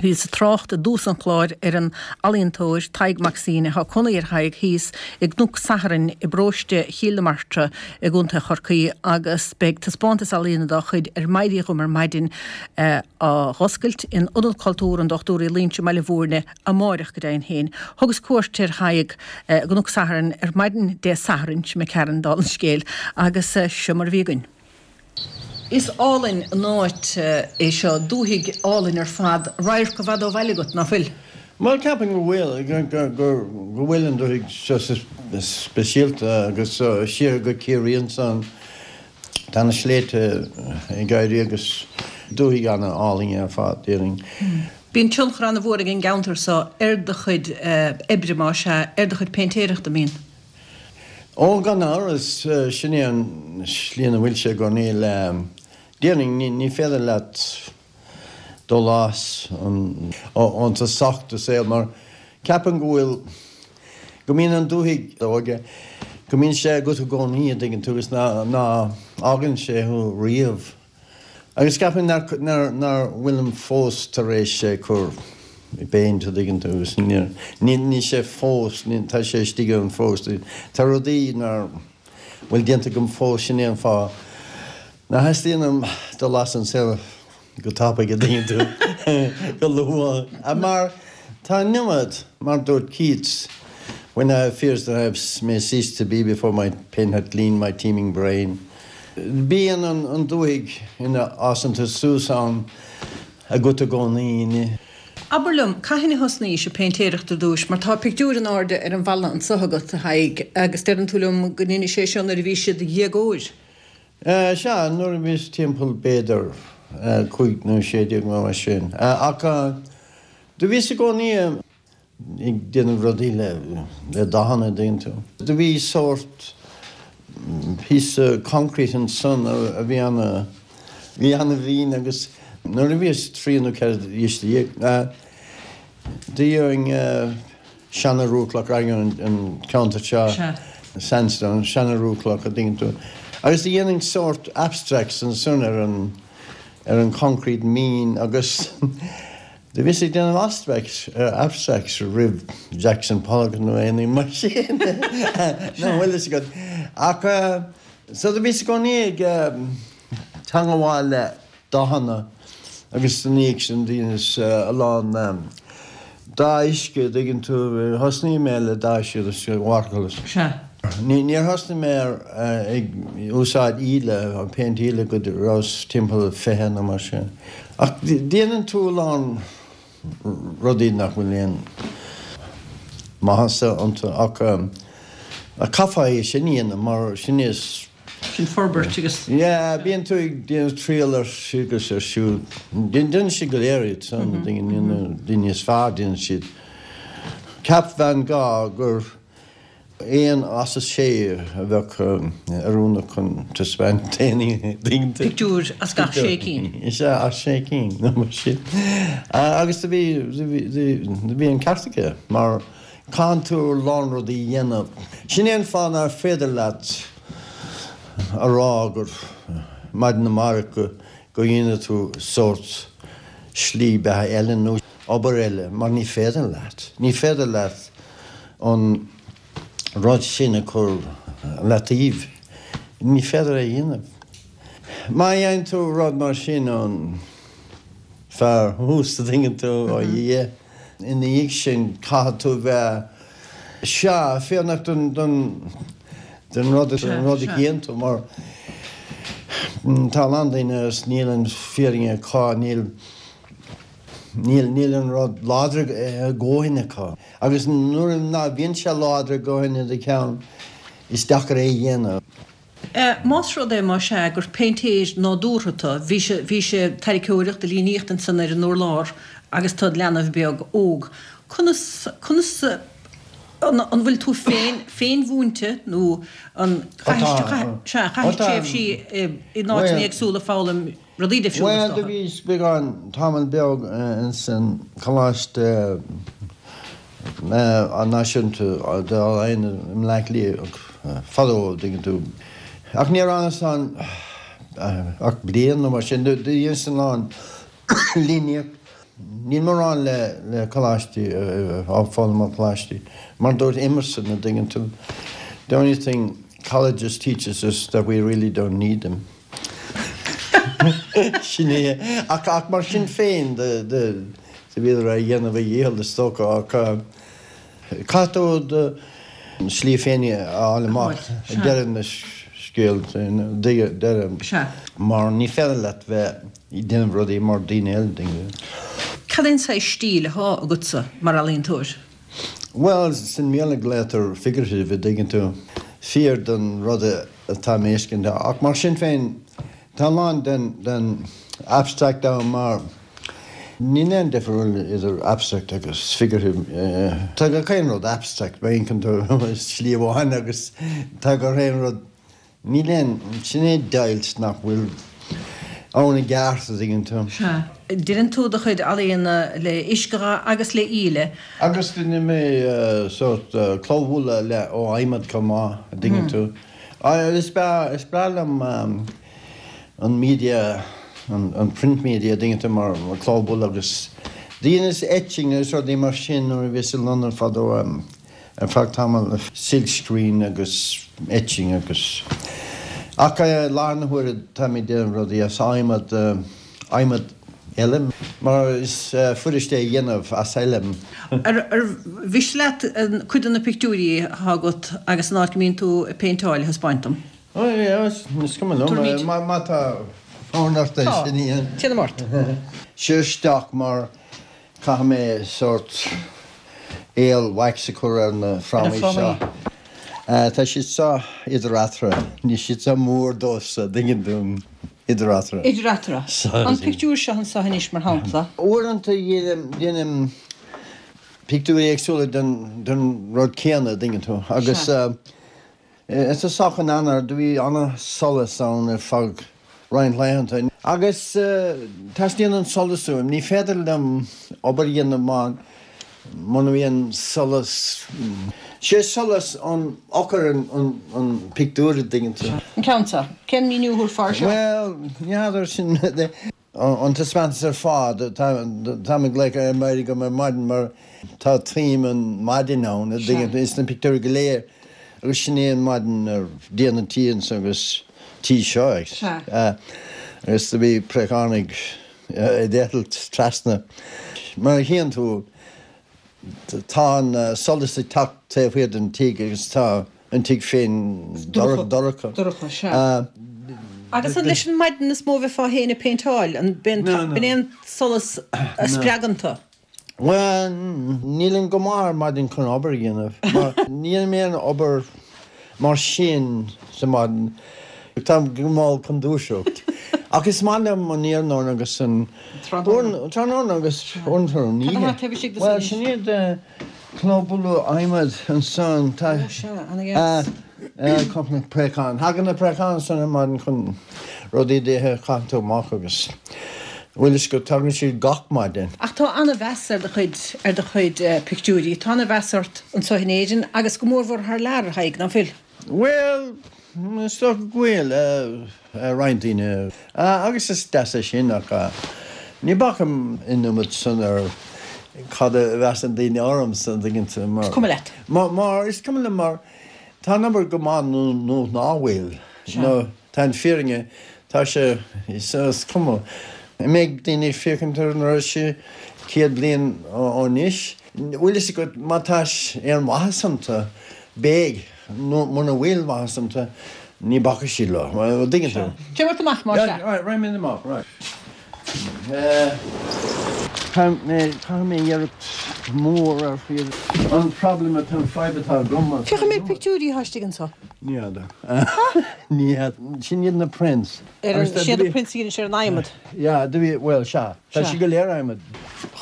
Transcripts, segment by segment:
Bhíos ag trácht i dtús an chláir ar an ealaíontóir Tadhg Mac Suibhne. Tá cónaí ar Thadhg thíos i gCnoc Sathairn i bparóiste Chill na Martra i gContae Chorcaí agus beidh taispeántas ealaíne dá chuid ar m'éirí dhom ar maidin á dh'oscailt in Ionad Cultúir an Dochtúir Uí Loingsigh i mBaile Bhúirne amáireach go deimhin féin. Thugas cuairt ar Thadhg i gCnoc Sathairn ar maidin Dé Sathairn, sin imigh tharainn, dála an scéil, agus seo mar a bhí againn. Is álainn an áit é seo, dúthaigh álainn ar fad, radharc i bhfad ó bhaile agat, ná fuil? Bhuel, ceapaim go bhfuil, go bhfuil an dúthaigh seo speisialta agus siar go Ciarraí ansan, tá na sléibhte ag éirí agus dúthaigh an-álainn ar fad, déarfainn. Bíonn tionchar an-mhór ag an gceantar seo ar do chuid oibre, más ea, ar do chuid péintéireachta, an mbíonn? Ó, gan amhras, sin é an slí ina bhfuil sé i gcónaí le, déarfainn, ní féidir leat dul as ón tosach do saol mar ceapaim go bhfuil, go mbíonn an dúthaigh óige, go mbíonn sé agat i gcónaí, an dtuigeann tú, agus ná fhágann sé thú riamh. Agus ceapaim nár nár bhfuilim fós tar éis é cur i bpéint, an dtuigeann tú, agus níl níl sé fós, níl tá sé istigh ann fós. Tá rudaí nár bhfuil déanta agam fós, sin é an fáth ná theastaíonn uaim dul as an saol go tapaidh, an dtuigeann tú, go luath. Mar tá an iomad, mar dúirt Keats, When I have fears that I may cease to be before my pen hath gleaned my teeming brain. Bíonn an dúthaigh ina fhásann tú suas ann agat i gcónaí. Abair liom, cathain a thosnaís ag péintéireacht ar dtúis, mar tá pictiúr in airde ar an bhalla anso agat, a Thaidhg, agus deireann tú liom go ndeinis é seo nuair a bhís i do dhéagóir. Sea, nuair a bhíos timpeall b'fhéidir 15 nó 16 nó mar sin. Ach do bhíos i gcónaí. ag déanamh rudaí le dathanna, an dtuigeann tú. Do bhí sórt píosa concrete ansan a bhí ana, bhí ana mhín agus nuair a bhíos 13 nó 14 d'aois do gheobhainn seana rollchloch an ceantar seo, sandstone, seana rollchloch, an dtuigeann tú. Agus do dhéanainn sórt abstracts ansan ar an, ar an concrete mín agus Do bhíos ag déanamh abstracts, abstracts roimh Jackson Pollock nó aon ní mar sin, nach bhfuil fhios agat. Ach so do bhíos i gcónaí ag teangabháil le dathanna agus ina dhiaidh sin dheineas a lán dath uisce, an dtuigeann tú, thosnaigh mé le dath uisce agus watercolours. Sea. Níor thosnaigh mé ar ag úsáid íle, péint íle go rabhas timpeall 20 nó mar sin. Ach déanann tú a lán rudaí nach bhfuil aon maitheasa iontu ach caithfeá é sin a dhéanamh mar sin is. Sin forbairt agus. Yeah, bíonn tú ag déanamh triail ar seo agus ar siúd. Déanann siad go léir iad san, daoine is fearr déanann siad. Cheap Van Gogh gur. Aon as a sé a bheadh oiriúnach chun taispeáint d'aon Pictiúr as gach sé cinn. Is ea, as sé cinn, nó mar sin. Agus do bhí, do bhí an ceart aige, mar caitheann tú a lán rudaí a dhéanamh. Sin é an fáth nár féidir leat a rá gur maidin amárach go go ndéanfaidh tú sórt slí beatha eile nó obair eile, mar ní féidir leat. Ní féidir leat an rud sin a chur leataobh. Ní féidir é a dhéanamh. Má dhéanann tú rud mar sin ón fear thuas, an dtuigeann tú, ó Dhia, ina dhiaidh sin caithfidh tú bheith, sea, fírinneach don, don, don rud, don rud a dhéanann tú mar tá a lán daoine agus níl an fírinne acu, níl, Níl, níl an rud láidir a dhóthain acu. Agus nuair ná bhíonn sé láidir a dhóthain i do cheann, is deacair é a dhéanamh. Más rud é, más ea, gur péintéir nádúrtha tu, bhí sé, bhí sé ag tarraiceoireacht, ag líníocht ansan ar an urlár agus tu id leanbh beag óg. Conas, conas, an, an bhfuil tú féin, féinmhúinte nó an, chaithis, sea, chaithis tréimhsí in áiteanna éagsúla ag foghlaim Rudaí difriúla is dócha. Bhuel, do bhíos beagán, tamall beag ins an Choláiste Náisiúnta d'Ealaíona i mBleá Cliath fadó, an dtuigeann tú. Ach níor fhanas ann ach bliain nó mar sin. Do dheineas a lán líníocht. Níl mórán le le coláistí, á foghlaim ó choláistí. Mar dúirt Emerson, an dtuigeann tú, the only thing colleges teach us is that we really don't need them. Sin é. Ach ach mar sin féin do do do bhíodar á dhéanamh a dhícheall is dócha ach caithfidh tú do shlí féin a fháil amach ag deireadh na scéal, deireadh mar ní féidir leat bheith ag déanamh rudaí mar daoine eile, tuigeann tú. Cad é an saghas stíl atá agatsa mar ealaíontóir? Bhuel, sa mBéarla glaotar figurative, a dtuigeann tú. Fíor don rud atá mé a fheiscint. Ach mar sin féin, tá a lán den, den abstract ann mar níl aon difriúil idir abstract agus figurative. Tá gach aon rud abstract, má amharcann tú slí amháin agus tá gach aon rud Níl aon, sin é deighilt nach bhfuil ann i gceart, a dtuigeann tú. Sea. Deineann tú do chuid ealaíona le uiscedhath agus le íle. Agus deineann mé sórt clóbhualadh le ó adhmad chomh maith, a dtuigeann tú. Is breá, is breá liom an media, an print media, a dtuigeann tú, mar clóbhualadh agus dheineas etching agus rudaí mar sin nuair a bhíos i Londain fadó. Ar feadh tamaill, silk screen agus etching agus. Ach i láthair na huaire tá mé ag déanamh rudaí as adhmad, adhmad eile, mar is fuiriste é a dhéanamh as eile. Ar mhiste leat cuid de na pictiúirí atá agat agus an áit go mbíonn tú ag péinteáil a thaispeáint dom? Ó yeah, is cuma liom, má tá fonn ort é sin a dhéanamh. Tá, téanam ort. Seo isteach mar Caithfidh mé sórt aol wax a chur ar na frámaí seo. Tá siad seo idir eatarthu. Níl siad seo mór domhsa, dtuigeann tú, idir eatarthu. Idir eatarthu. An pictiúr seo anseo anois, mar shampla. Uaireanta déanaim pictiúirí éagsúla den rud céanna, dtuigeann tú, agus. I dtosach in Eanáir do bhí ana-solas ann ar feadh roinnt laethanta. Agus teastaíonn an solas uaim. Ní féidir liom obair a dhéanamh má muna mbíonn solas. Sé solas an eochair an pictiúr, a dtuigeann tú. An ceann seo. Cén míniú a thabharfá air seo? Bhuel, ní fheadar sin. An taispeántas ar fad, táim ag glaoch air M'éirigh agam ar maidin mar tá theme an maidin ann, a dtuigeann tú, ins na pictiúirí go léir agus sin é an maidin ar díon an tí anso agus tí seo agus do bhí préachánaigh ag eitilt trasna. Mar a chíonn tú tá an solas ag teacht taobh thiar den tigh agus tá an tigh féin dorcha. Dorcha, sea. Agus an leis an maidin is mó a bheifeá féin ag péinteáil? An b'in é an solas a spreagann tú? Bhuel, nílim go maith ar maidin chun obair a dhéanamh. Mar ní dhéanaim aon obair mar sin sa maidin. Táim go mall chun dúiseacht. Ach is maith liom an iarnóin agus an tráthnóna agus uaireanta an oíche. Bhuel, sin iad Clóbhualadh adhmaid ansan tá cúpla préachán. Thagann na préacháin ansan ar maidin chun rudaí d'ithe, caitheann tú amach agus bhfuil fhios agat, tagann siad gach maidin. Ach tá an-mheas ar do chuid, ar do chuid pictiúirí. Tá an-mheas ort anso in Éirinn agus go mórmhór thar lear, a Thaidhg, ná fuil? Bhuel, is dócha go bhfuil, roinnt daoine. Agus is deas é sin ach ní bhacaim an iomad san ar cad a mheasann daoine ormsa, an dtuigeann tú, mar. Is cuma leat. Mar, is cuma liom mar tá an obair go maith nó nó ná bhfuil. Nó tá an fírinne, tá sé, is cuma. An mbeidh daoine ag féachaint ar an rud sin 100 bliain ó anois? Bhfuil fhios agat, má tá aon mhaitheas iontu, beidh, nó muna bhfuil maitheas iontu, ní bhacfaidh siad leo. An dtuigeann tú? Téim ort amach, más ea. Yeah, right, raghaidh mé amach, right. Caithfidh mé, caithfidh mé iarracht mhór ar an problem atá, an fadhb atá agam. Féach an méid pictiúirí atá istigh anseo. Ní fheadar. Ní fheadar. Sin iad na prints. Ar an, siad na prints a dhéanann sé ar an adhmad. Yeah, do bhí, bhuel, sea. Tá siad go léir adhmad.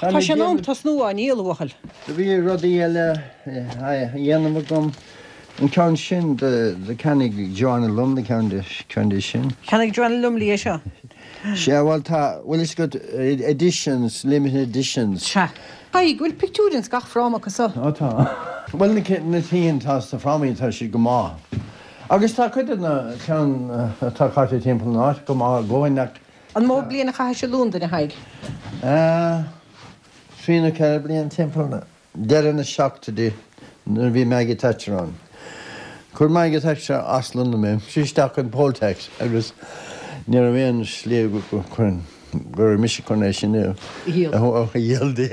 Tá sé in am tosnú á ndíol, a bhuachaill. Do bhí rudaí eile á dhéanamh agam. An ceann sin, do cheannaigh Joanna Lumley ceann de, ceann de sin. Cheannaigh Joanna Lumley é seo? Sea, bhuel tá, bhfuil fhios agat, editions, limited editions. Sea. Tadhg, bhfuil pictiúir ins gach fráma acu so? Ó tá. Bhuel na cinn atá sna frámaí tá siad go maith. Agus tá cuid de na ceann atá caite timpeall an áit go maith i gcónaí ach. An mó bliain a chaithis i Londain, a Thaidhg? Trí nó 4 bliana timpeall deireadh na seachtóidí nuair a bhí Maggie Thatcher ann. Chuir Maggie Thatcher as Londain mé, sí isteach an poll tax agus ní raibh aon slí go raibh mise chun é sin a dhíol di.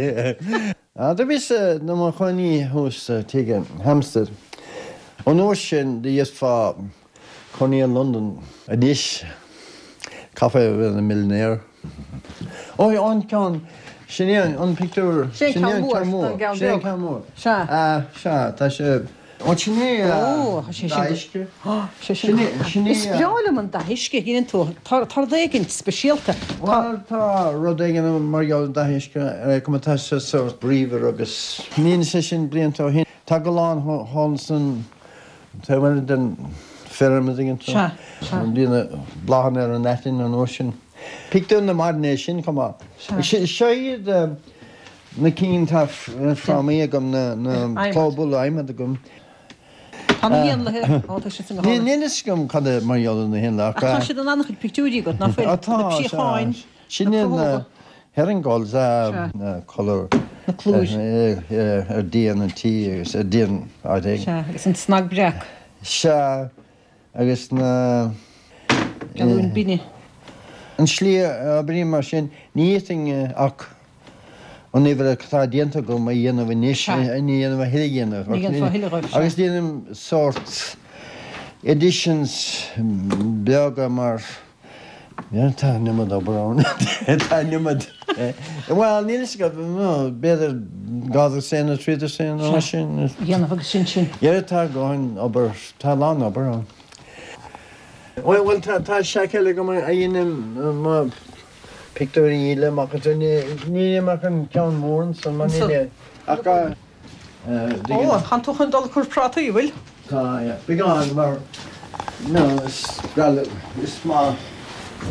Do bhíos i mo chónaí thuas sa tigh in Hampstead. An uair sin do d'fhéadfá cónaí i Londain anois, chaithfeá a bheith ina millionaire. Ó, an ceann, sin é an pictiúr, sin é an ceann mór, sin é an ceann mór. Sea. Sea, tá sé, ó sin é dath uisce. Sin é, sin é. Is breá liom an dath uisce a dheineann tú, tá rud éigin speisialta. Bhuel, tá rud éigin mar gheall ar an dath uisce, ar cuma tá sé sórt bríomhar agus níl sé sin blianta ó shin. Tá gallán thall san taobh eile den feirm, an dtuigeann tú. Sea, sea. Bhí na bláthanna ar an aitinn an uair sin. Pictiúr na maidine é sin chomh maith. Sea. Seo iad na cinn atá frámaí agam, na clóbhualadh adhmaid agam. Tá na héanlaithe, ó tá siad san go hálainn. Níl fhios agam cad é mar gheall ar na héanlaithe ach. Ach tá siad in an-chuid pictiúirí agat, ná fuil? Tá, Na préacháin, Sin na iad na cruthóga. herring gulls, na colúir Na colúir. ar díon an tí agus ar díon áit éigin. Sea, agus an cnag breac. Sea, agus na. Galúin binne. An slí a oibrím mar sin, ní fhéadfainn ach an obair atá déanta agam a dhéanamh anois, ní dhéanamh a thuilleadh a dhéanamh. Ní dhéanfá a thuilleadh dhóibh, sea. Agus déanaim sórt editions beaga mar Tá an iomad obair ann. Tá an iomad. Bhuel, níl fhios agam, b'fhéidir dhá dhosaen nó trí dosaen nó mar sin. Dhéanamh agus sin sin. Yeah, tá dhóthain obair, tá a lán obair ann. Bhuel, tá seac eile agam a dhéanaim mo pictiúirí a dhíol amach as. Ní dhéanaim ach an ceann mór ansan mar níl ach. Ó, tánn tú chun dul ag cur prátaí, an bhfuil? Tá, yeah. Beagán, mar, no, is breá liom, is maith.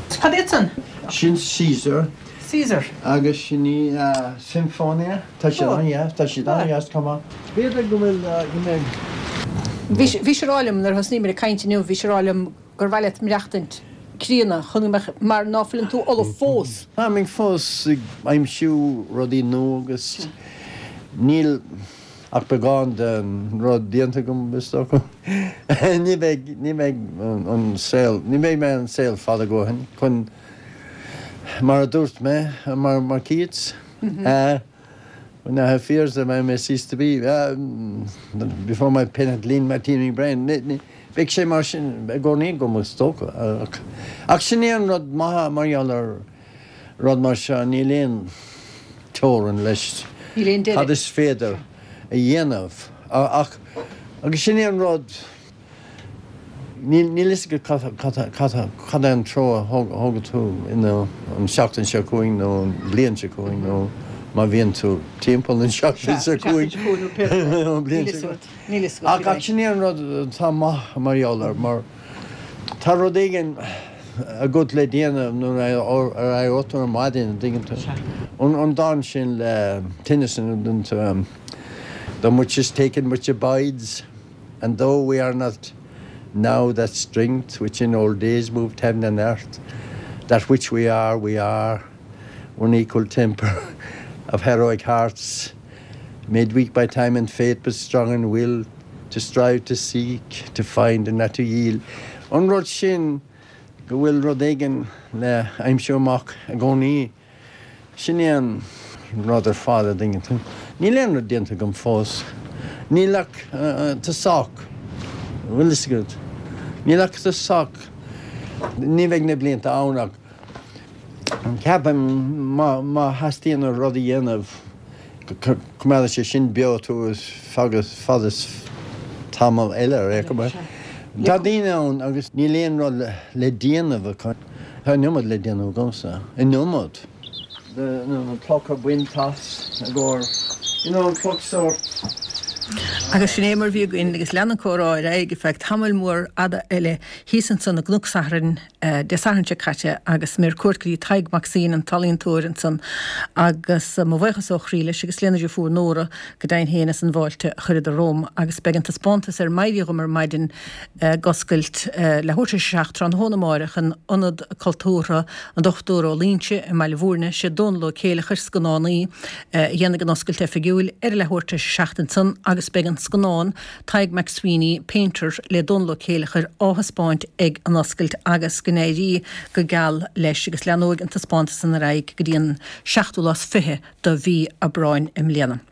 Cad iad san? Sin Caesar. Caesar. Agus sin í Symphonia. Tá siad an-dheas, tá siad an-dheas chomh maith. B'fhéidir go bhfuil, go mbeidh. Bhí, bhís ag rá liom nuair a thosnaíomar ag caint inniu, bhís ag rá liom gur mhaith leat maireachtaint críonna chun go mbeadh, mar ná fuileann tú ullamh fós. Táim fós ag aimsiú rudaí nua agus níl ach beagán den rud déanta agam, is dócha. Ní bheidh, ní bheidh an saol, ní bheidh mé ar an saol fada a dhóthain chun, mar a dúirt mé, mar, mar Keats, When I have fears that I may cease to be, before my pen hath leaned my teeming brain. Beidh sé mar sin i gcónaí agam, is dócha. Ach sin é an rud maith mar gheall ar rud mar seo, níl aon teorainn leis cad is féidir a dhéanamh. Ach, agus sin é an rud. Níl fhios agat cad é an treo a thógfaidh tú an seachtain seo chugainn nó an bhliain seo chugainn nó má bhíonn tú timpeall an seachtain seo chugainn nó an bhliain seo chugainn. Ach sin é an rud atá maith mar gheall air mar tá rud éigin agat le déanamh nuair a éireoidh tú ar maidin, an dtuigeann tú? An dán sin le Tennyson, an dtuigeann tú, Though much is taken much abides. And though we are not now that strength which in old days moved heaven and earth, that which we are, we are, one equal temper of heroic hearts, made weak by time and fate, but strong in will to strive, to seek, to find and not to yield. An rud sin go bhfuil rud éigin le aimsiú amach i gcónaí. Sin é an rud ar fad a dtuigeann tú. Níl aon rud déanta agam fós. Níl ach tosach. Bhfuil fhios agat? Níl ach tosach. Ní bheidh na blianta ann ach ceapaim má theastaíonn rud a dhéanamh go coimeádfaidh sé sin beo tú fad is tamall eile ar aon chuma. Tá daoine ann agus níl aon rud le déanamh acu. Tá an iomad le déanamh agamsa. An iomad. Na clocha bainte as i gcomhair, you know, an cloch sórt. Agus sin é mar bhí againn agus lean an comhrá ar aghaidh ar feadh tamaill mhór fhada eile thíos ansan i gCnoc Sathairn Dé Sathairn seo caite agus mé ar cuairt go dtí Tadhg Mac Suibhne, an t-ealaíontóir ansan agus mo bhuíochas ó chroí leis agus lena dheirfiúr Nóra go deimhin féin as an bhfáilte a chuireadar romham agus beidh an taispeántas ar m'éirí dhom ar maidin ag oscailt leathuair tar éis a 7 tráthnóna amáireach in Ionad Cultúrtha an Dochtúra Ó Loingsigh i mBaile Bhúirne. Sé Dónal Ó Céileachair, scannánaí, a dhéanfaidh an oscailt oifigiúil ar a leathuair tar éis a 7 ansan agus beidh an scannán Tadhg MacSweeney, Painter le Dónal Ó Céileachair á thaispeáint ag an oscailt agus go n-éirí go geal leis agus leanóidh an taispeántas san ar aghaidh go dtí an seachtú lá is 20 de mhí Aibreáin i mbliana.